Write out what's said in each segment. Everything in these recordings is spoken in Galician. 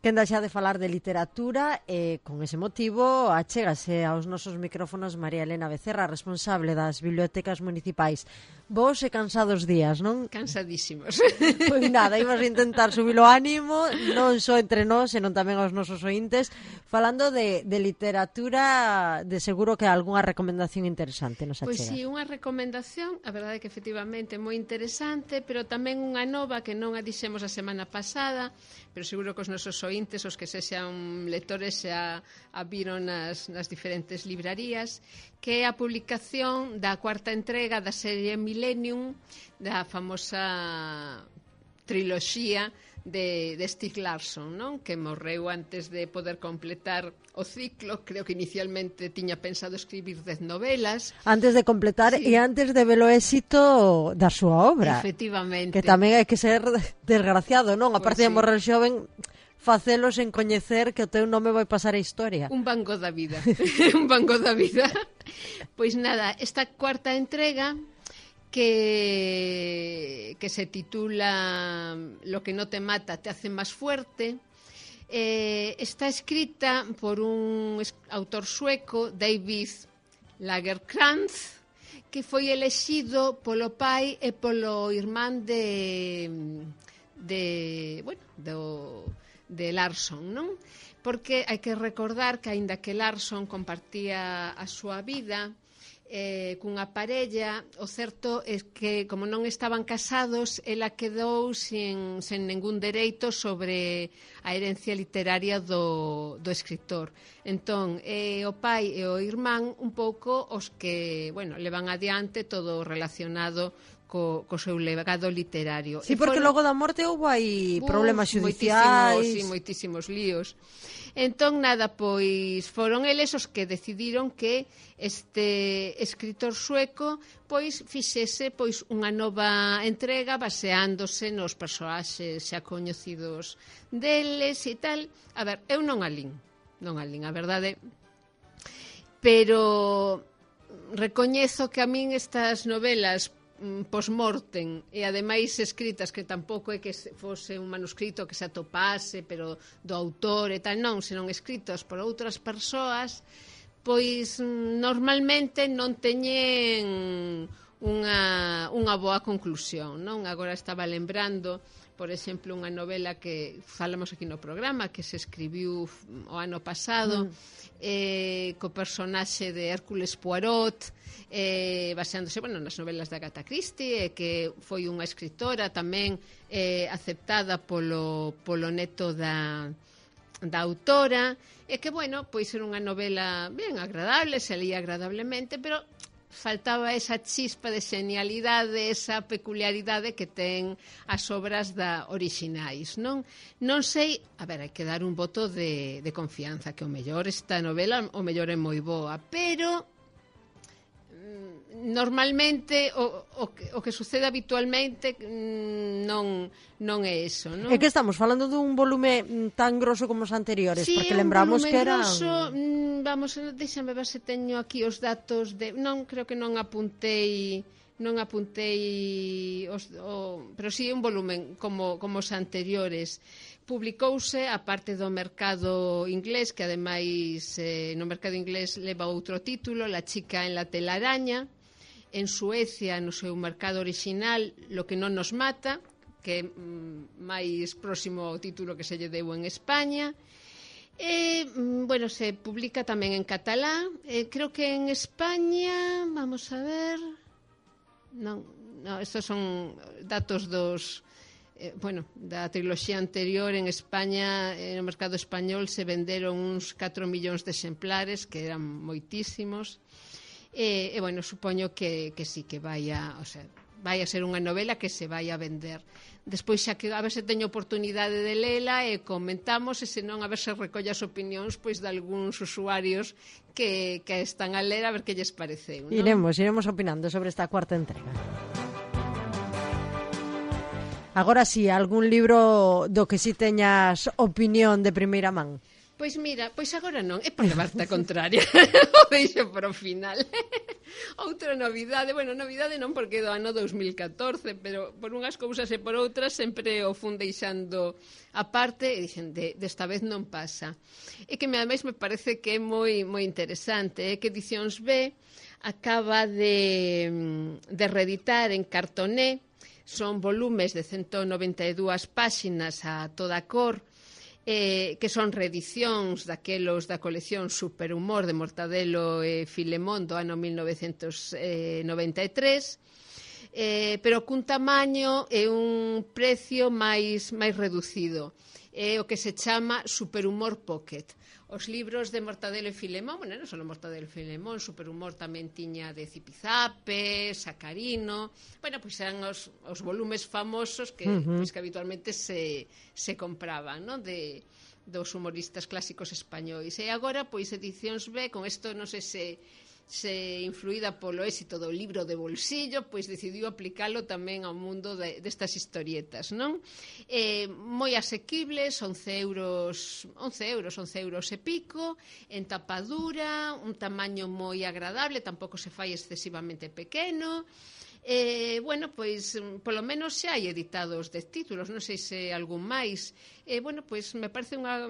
quenda xa de falar de literatura e con ese motivo achégase aos nosos micrófonos María Elena Becerra, responsable das bibliotecas municipais. Vos e cansados días, non? Cansadísimos. Pois nada, imos intentar subir o ánimo, non só entre nós, senón tamén aos nosos ointes, falando de literatura, de seguro que algunha recomendación interesante nos achega. Pois si, unha recomendación, a verdade é que efectivamente é moi interesante, pero tamén unha nova que non a dixemos a semana pasada, pero seguro que os nosos ointes, os que sexan lectores, xa a viron nas diferentes librarías, que é a publicación da cuarta entrega da serie Millennium, da famosa triloxía de Stieg Larsson, non? Que morreu antes de poder completar o ciclo. Creo que inicialmente tiña pensado escribir 10 novelas. Antes de completar, sí. E antes de ver o éxito da súa obra. Efectivamente. Que tamén hai que ser desgraciado, non? A parte de morrer xoven, facelo sen coñecer que o teu nome vai pasar a historia. Un Van Gogh da vida. Un Van Gogh da vida. Pois nada, esta cuarta entrega que se titula Lo que no te mata te hace más fuerte, está escrita por un autor sueco, David Lagercrantz, que foi elexido polo pai e polo irmán de Larsson, non? Porque hai que recordar que, aínda que Larsson compartía a súa vida cunha parella, o certo é que, como non estaban casados, ela quedou sen ningún dereito sobre a herencia literaria do escritor. Entón, o pai e o irmán un pouco os que, levan adiante todo relacionado co seu legado literario. Sí, porque logo da morte houve aí problemas xudiciais. Moitísimos líos. Entón, nada, pois foron eles os que decidiron que este escritor sueco pois fixese pois unha nova entrega baseándose nos persoaxes xa coñecidos deles e tal. A ver, eu non a lin, a verdade, pero recoñezo que a min estas novelas post-mortem e ademais escritas, que tampouco é que fose un manuscrito que se atopase pero do autor e tal, non, senón escritos por outras persoas, pois normalmente non teñen unha boa conclusión, non? Agora estaba lembrando, por exemplo, unha novela que falamos aquí no programa, que se escribiu o ano pasado, co personaxe de Hércules Poirot, baseándose nas novelas de Agatha Christie, que foi unha escritora tamén aceptada polo neto da autora, e que, pois era unha novela ben agradable, se leía agradablemente, pero faltaba esa chispa de xenialidade, esa peculiaridade que ten as obras orixinais, non? Non sei, a ver, hai que dar un voto de confianza, que o mellor esta novela, o mellor é moi boa, pero normalmente o que sucede habitualmente non é eso, non? É que estamos falando dun volume tan grosso como os anteriores, sí, porque lembramos que eran... Vamos, déxame ver se teño aquí os datos de... Non, creo que non apuntei pero sí un volumen como os anteriores. Publicouse a parte do mercado inglés, que ademais no mercado inglés leva outro título, La chica en la telaraña. En Suecia, no seu mercado orixinal, Lo que non nos mata, que é máis próximo ao título que se lle deu en España. E, se publica tamén en catalán. Creo que en España, vamos a ver... Non, estos son datos da triloxía anterior. En España, no mercado español, se venderon uns 4 millóns de exemplares, que eran moitísimos. Supoño que sí, que vai a ser unha novela que se vai a vender. Despois xa que a ver se teño oportunidade de lela e comentamos, e senón a ver se recolle as opinións pois de algúns usuarios que están a ler, a ver que lles pareceu, non? Iremos opinando sobre esta cuarta entrega. Agora sí, algún libro do que si teñas opinión de primeira man? Pois mira, pois agora non, é por levarte a contraria. O deixo para o final. Outra novidade, bueno, novidade non porque do ano 2014, pero por unhas cousas e por outras sempre o fun deixando aparte e dixen, desta vez non pasa. E que ademais me parece que é moi interesante, que Edicións B acaba de reeditar en cartoné, son volumes de 192 páxinas a toda cor, que son reedicións daquelos da colección Superhumor de Mortadelo e Filemón do ano 1993, pero cun tamaño e un precio máis reducido. É o que se chama Superhumor Pocket. Os libros de Mortadelo e Filemón, bueno, non só Mortadelo e Filemón, Superhumor tamén tiña de Zipizape, Sacarino, bueno, pois eran os volumes famosos que, pois, que habitualmente se compraban, non? Dos humoristas clásicos españois. E agora, pois, Edicións B, con isto non sei se influída polo éxito do libro de bolsillo, pois decidiu aplicalo tamén ao mundo destas historietas, non? Moi asequibles, 11 euros e pico, en tapadura, un tamaño moi agradable, tampouco se fai excesivamente pequeno. Bueno, pois, polo menos xa hai editados 10 títulos, non sei se algún máis. Bueno, pois, me parece unha...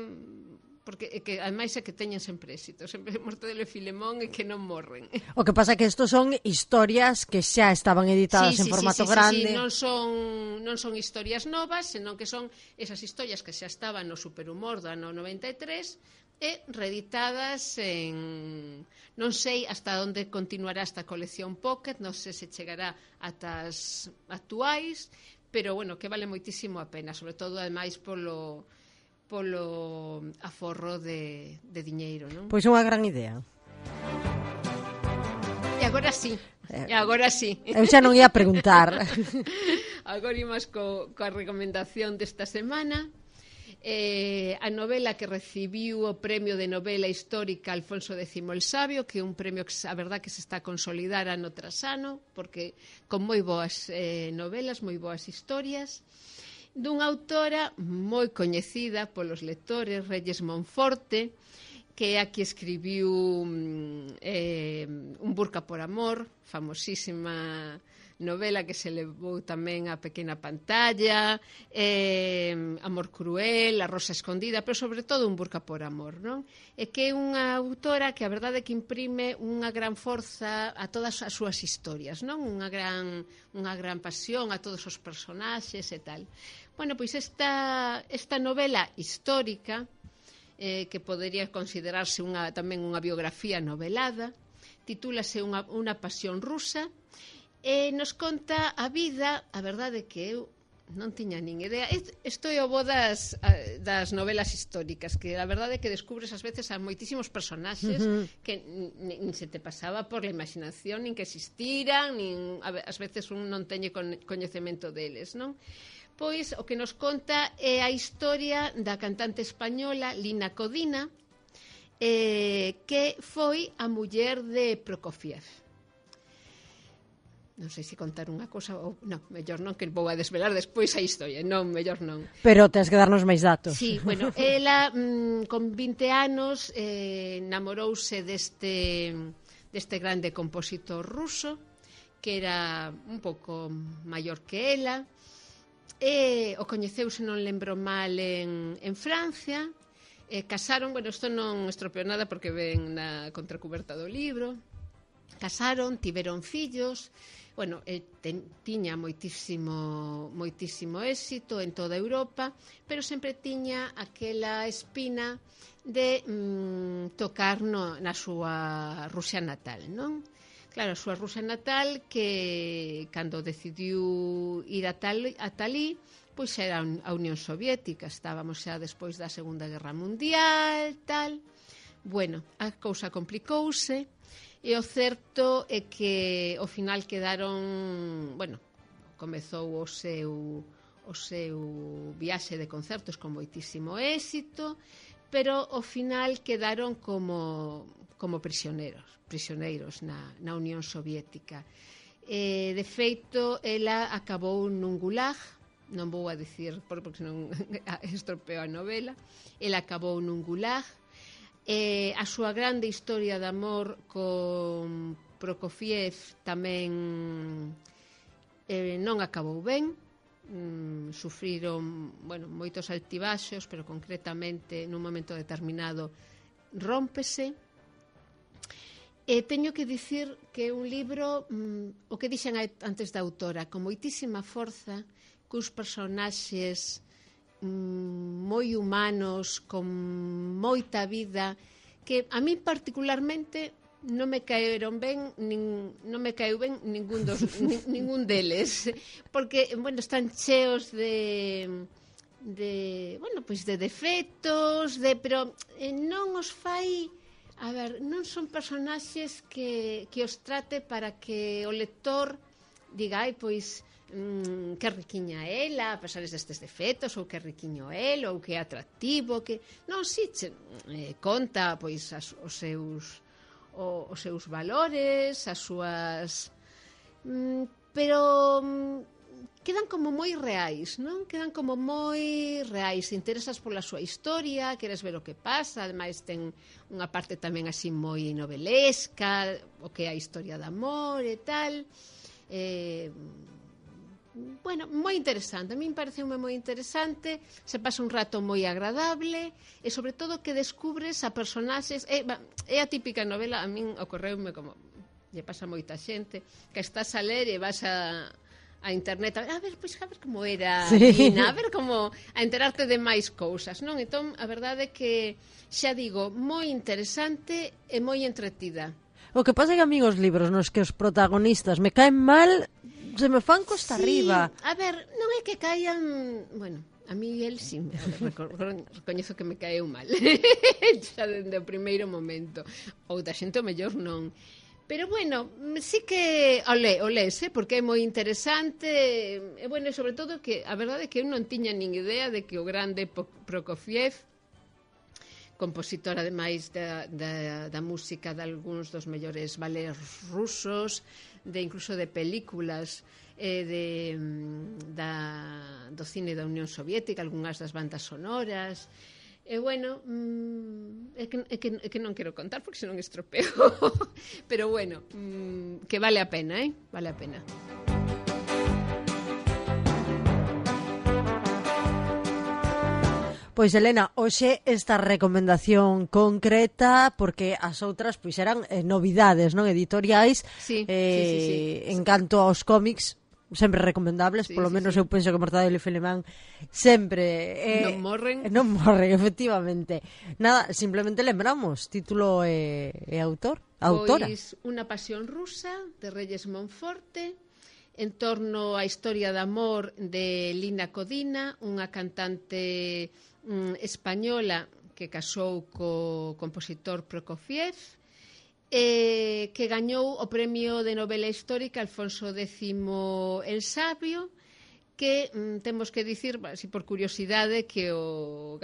porque que ademais é que teñen sempre éxito, sempre Mortadelo e Filemón e que non morren. O que pasa é que estos son historias que xa estaban editadas en formato grande. Non son historias novas, senón que son esas historias que xa estaban no Superhumor do ano 93 e reeditadas en... non sei hasta onde continuará esta colección Pocket, non sei se chegará ata as actuais, pero bueno, que vale moitísimo a pena, sobre todo ademais polo aforro de diñeiro, non? Pois é unha gran idea. E agora sí. Eu xa non ia preguntar. Agora imos coa recomendación desta semana. A novela que recibiu o premio de novela histórica Alfonso X el Sabio, que é un premio que a verdad que se está a consolidar ano tras ano, porque con moi boas novelas, moi boas historias, dunha autora moi coñecida polos lectores, Reyes Monforte, que é a que escribiu Un burca por amor, famosísima novela que se levou tamén á pequena pantalla, Amor cruel, A rosa escondida, pero sobre todo Un burca por amor, non? É que é unha autora que a verdade é que imprime unha gran forza a todas as súas historias, non? Unha gran pasión a todos os personaxes e tal. Bueno, pois esta novela histórica, que podería considerarse tamén unha biografía novelada, titúlase Unha pasión rusa, e nos conta a vida, a verdade que eu non tiña nin idea. Isto é o bo das novelas históricas, que a verdade é que descubres ás veces a moitísimos personaxes que nin se te pasaba por la imaginación, nin que existiran, ás veces un non teñe coñecemento deles, non? Pois o que nos conta é a historia da cantante española Lina Codina, que foi a muller de Prokofiev. Non sei se contar unha cosa ou... Non, mellor non, que vou a desvelar despois a historia. Non, mellor non. Pero tens que darnos máis datos. Sí, bueno, ela con 20 anos namorouse deste grande compositor ruso, que era un pouco maior que ela, e o coñeceuse, non lembro mal, en Francia, casaron, bueno, isto non estropeou nada porque ven na contracuberta do libro, casaron, tiveron fillos, bueno, tiña moitísimo éxito en toda Europa, pero sempre tiña aquela espina de tocar na súa Rusia natal, non? Claro, a súa Rusia natal, que cando decidiu ir a Talí, pois era a Unión Soviética, estábamos xa despois da Segunda Guerra Mundial, tal. Bueno, a cousa complicouse, e o certo é que ao final quedaron, bueno, comezou o seu viaxe de concertos con moitísimo éxito, pero ao final quedaron como prisioneiros na Unión Soviética. De feito, ela acabou nun gulag, non vou a dicir porque senón estropeo a novela. El acabou nun gulag. A súa grande historia de amor con Prokofiev tamén non acabou ben. Sufriron, moitos altibaxos, pero concretamente nun momento determinado rómpese. Teño que dicir que é un libro, o que dixen antes da autora, con moitísima forza, cus personaxes moi humanos, con moita vida, que a mí particularmente non me caeron ben, non me caeu ben ningún deles, porque, están cheos de defectos, pero non os fai, non son personaxes que os trate para que o lector diga, que riquiña ela, a pesar destes defectos, ou que riquiño el, ou que é atractivo, que non, si, conta os seus valores, as súas, pero quedan como moi reais, non? Quedan como moi reais, interesas pola súa historia, queres ver o que pasa, ademais ten unha parte tamén así moi novelesca, o que é a historia de amor e tal. Moi interesante, a min pareceume moi interesante, se pasa un rato moi agradable e sobre todo que descubres a personaxes, é a típica novela, a min ocorreume como lle pasa a moita xente, que estás a ler e vas a internet a ver como era Nina, a ver como a enterarte de máis cousas, non? Entón, a verdade é que, xa digo, moi interesante e moi entretida. O que pasa é que a mí os libros nos que os protagonistas me caen mal, se me fan costa arriba. A ver, non é que caian... a mí el sí, recoñezo que me caeu mal. Xa dende o primeiro momento. Outra xente o mellor non. Pero sí que o lees, porque é moi interesante. E sobre todo que a verdade é que eu non tiña nin idea de que o grande Prokofiev, compositor ademais da música de algúns dos mellores ballets rusos, incluso de películas do cine da Unión Soviética, algunhas das bandas sonoras. É que non quero contar porque senón estropeo. Pero que vale a pena, vale a pena. Pois, Elena, hoxe esta recomendación concreta, porque as outras eran novidades, non, editoriais, sí. En canto aos cómics, sempre recomendables, polo menos eu penso que Mortadelo e Filemán sempre non morren, efectivamente. Nada, simplemente lembramos título e autora. Pois Unha pasión rusa, de Reyes Monforte, en torno á historia de amor de Lina Codina, unha cantante española que casou co compositor Prokofiev, que gañou o premio de novela histórica Alfonso X el Sabio, que temos que dicir, así por curiosidade, que o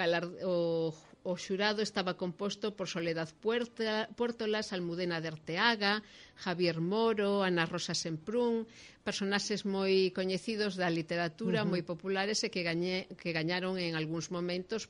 xurado estaba composto por Soledad Puertolas, Almudena de Arteaga, Javier Moro, Ana Rosa Semprún, personaxes moi coñecidos da literatura, moi populares e que gañaron en algúns momentos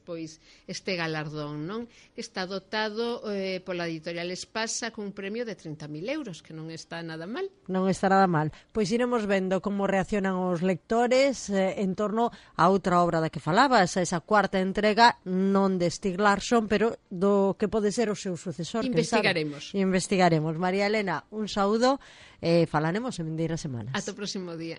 este galardón, non? Que está dotado pola editorial Espasa con un premio de 30.000 euros, que non está nada mal. Non está nada mal. Pois iremos vendo como reaccionan os lectores en torno a outra obra da que falabas, esa cuarta entrega, non de Stieg Larsson, pero do que pode ser o seu sucesor. Investigaremos. María Elena, un saúdo e falaremos en vindeiras semanas. Ata o próximo día.